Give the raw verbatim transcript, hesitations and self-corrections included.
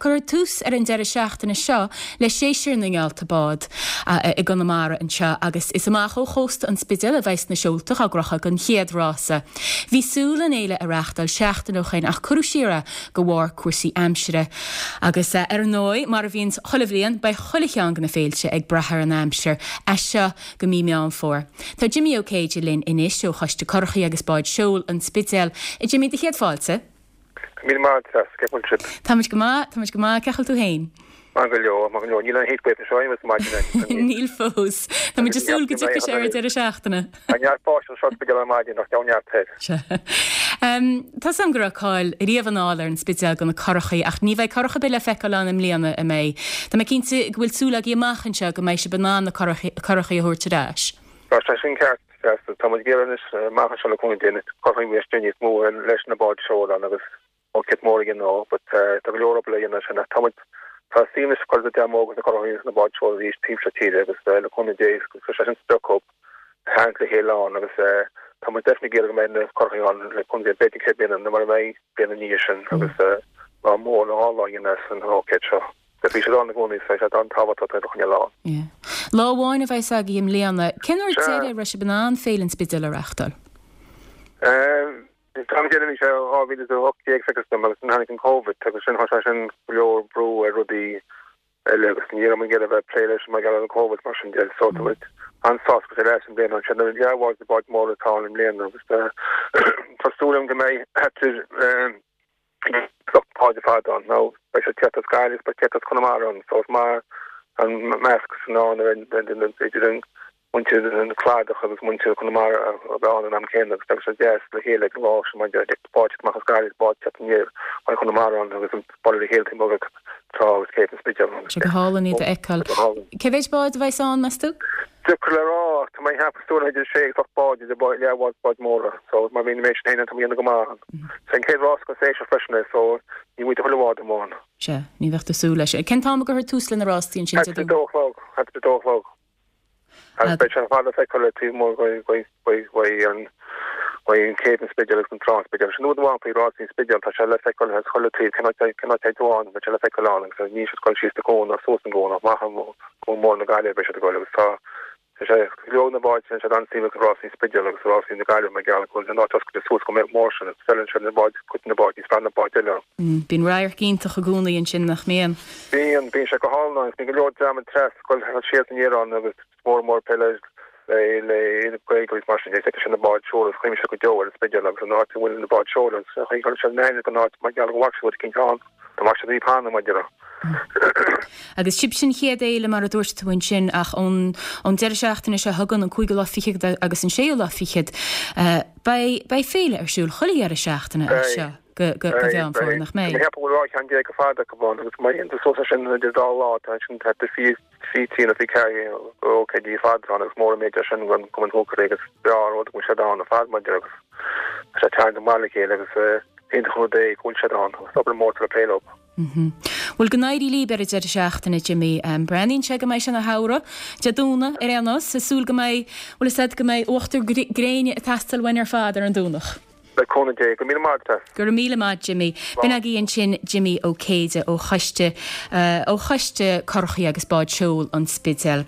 Cuirfear tús ar an deireadh seachtaine seo le séasúr na ngeallta bád i gConamara anseo agus is amach ó chósta an Spidéil a bheas na seolta á gcrochadh don chéad rása. Bhí súil an fhéile a reáchtáil seachtain ó shin ach cuireadh siar é de bharr cúrsaí aimsire. Agus ar ndóigh mar a bhíonn chuile bhliain beidh chuile cheann de na féilte ag brath ar an aimsir as seo go mí Meán Fómhair. Tá Jimmy Ó Céide linn anois ó Choiste Currachaí agus Báid Seoil an Spidéil. Jimmy do chéad fáilte? Míle maith cén chaoi bhfuil Táimid go maith Táimid go maith ceol tú féin. Maith go leor maith go leor níl an heat wave seo maidin Níl fós Tá muid ag súil go dtiocfaidh sé ar deireadh seachtaine. neart báistí sa Spidéal ar maidin nach neart Um, Tá sam go cáil riamh anall ar an Spidéal do na curachaí ach ní bheidh curach ar bith le feiceáil ann i mbliana an mbeidh. Tá mé cinnte go bhfuil súil agaibh amach anseo go mbeidh sibh in ann na curachaí a thabhairt ar ais. Tá sé sin ceart Tá amach anseo le cúnamh Dé curachaí níos mó leis na báid seoil agus ó mór again nó, but tá go leor le dhéanamh sin tá tá sí chu demo agus na curachaí na báid seoil arís timpeall tíre agus le cúnamh Dé sé sin sprioc hang le chéile an agus tá muid definitely go mbeidh na curachaí ann le cúnamh Dé b'fhéidir cé bliana na mar mé bliana ní sin agus lá mór lá lá dhéanamh san ócáid seo. Bhí sé an gcónaí sé an tábhachtach chun lá. Lá amháin a bheidh agaibh i mbliana, Cén uair deireadh a raibh sibh in ann Féile an Spidéil a reáchtáil? Tá déanamh sé dhá mhíle hocht déag agus tháinig an COVID agus sin sé sin go leor brú ar rudaí eile agus ní an ge bheith plé leis mar an COVID mar sin de so an-sásta go leis an bliain an sin leabháil de báid mór atá i mbliana agus tá súil agam go mbeidh báid fad ann nó beidh sé teacht as Gaillimh be teacht as Conamara ann so mar an measc san an idir an muintir an Cladach agus muintir Conamara a bheith an am céanna agus agus deas le chéile ag lá sem báid amach as Gaillimh báid teacht aniar an Conamara ann agus an baile le chéile timpeall trá agus céad an Spidéal. Sé go hálainn iad a fheiceáil. Cé mhéad bád a bheidh ann meas tú? Deacair le rá tá mé hapstú idir sé ach báid idir leathbhád báid móra, so mar bhí mé sin tá go maith. Sé an chéad rás go sé freisin é so ní bhfuil chuile bhád amháin. Se, ní bheadh tú súil leis. Cén t-am a gcuirfear tús le na rástaí sin dó chlog dó chlog. Agus beidh sé fada feiceáil le taobh mór an an céad an Spidéal agus an trá Spidéal. Sin amháin faoi rásaí Spidéal tá sé le feiceáil as chuile taobh cén áit amháin beidh sé le feiceáil ann agus ní sé goil síos de cuan suas an cuan amach go mór na Gaillimhe beidh sé goil agus tá sé leo na báid sin sé an suim ag rásaí Spidéal agus rásaí na Gaillimhe mar gheall go bhfuil an áit oscailte suas go mór sin agus feileann sé na báid cuid na báid níos fearr na báid eile. Bíonn radharc iontach i gcónaí ansin nach mbíonn. Bíonn bíonn sé go hálainn agus bíonn go leor dream tras goil siar aniar ann agus mór mór peile le le Gaeilge mar sin é sin na báid seoil agus chuimse go deo ar an Spidéal agus an áit a bhfuil na báid seoil agus chuir sé na go áit mar gheall go bhfaca siad cinn ann Tá mar sé pan mar deire. Agus sibh sin chéad fhéile mar a dúirt tú ansin ach ón ón deireadh seachtaine seo chugainn an cúigiú lá fichead agus an séú lá fichead beidh beidh féile ar siúl chuile dheireadh seachtaine seo go go go Mheán Fómhair nach mbeidh. Mé bhfuil rá ceann déag go fada go bhán agus mar aon so sin idir dá lá tá sin tá fi fi tí na fi ceir ócáidí fad an agus mór méid sin go go an hócair agus breá rud go sé an a fad mar agus sé teanga maith le chéile agus iontach rud é go bhfuil sé ann agus obair mór le plé leo. Bhuel go n-éirí libh ar an deireadh seachtaine Jimmy um, Breathnaíonn sé go mbeidh sé ina shamhradh Dé Domhnaigh ar aon nós, is súil go mbeidh bhfuil said go mbeidh uachtar gréine ag teastáil uainn ar fad ar an Domhnach. Le cúnamh Dé go míle maith. Go raibh míle maith Jimmy. B'in agaibh ansin Jimmy Ó Céide ó Choiste uh, ó Choiste Currachaí agus Báid Seoil an Spidéil.